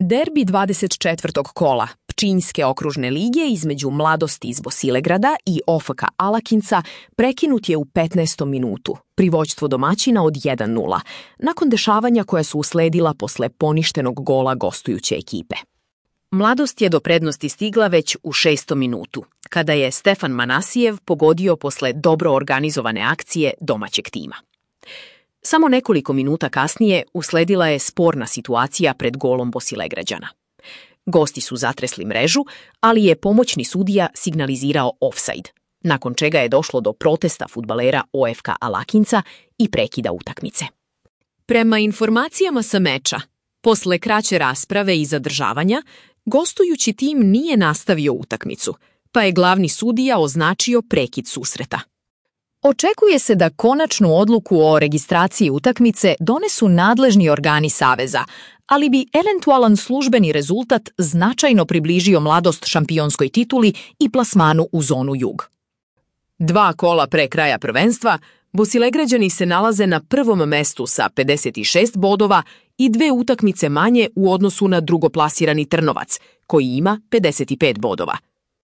Derbi 24. kola Pčinjske okružne lige između Mladosti iz Bosilegrada i OFK Alakinca prekinut je u 15. minutu, pri vođstvu domaćina od 1:0, nakon dešavanja koja su usledila posle poništenog gola gostujuće ekipe. Mladost je do prednosti stigla već u 6. minutu, kada je Stefan Manasijev pogodio posle dobro organizovane akcije domaćeg tima. Samo nekoliko minuta kasnije usledila je sporna situacija pred golom Bosilegrađana. Gosti su zatresli mrežu, ali je pomoćni sudija signalizirao ofsajd, nakon čega je došlo do protesta fudbalera OFK Alakinca i prekida utakmice. Prema informacijama sa meča, posle kraće rasprave i zadržavanja, gostujući tim nije nastavio utakmicu, pa je glavni sudija označio prekid susreta. Očekuje se da konačnu odluku o registraciji utakmice donesu nadležni organi Saveza, ali bi eventualan službeni rezultat značajno približio Mladost šampionskoj tituli i plasmanu u zonu jug. 2 kola pre kraja prvenstva, Bosilegrađani se nalaze na prvom mestu sa 56 bodova i 2 utakmice manje u odnosu na drugoplasirani Trnovac, koji ima 55 bodova.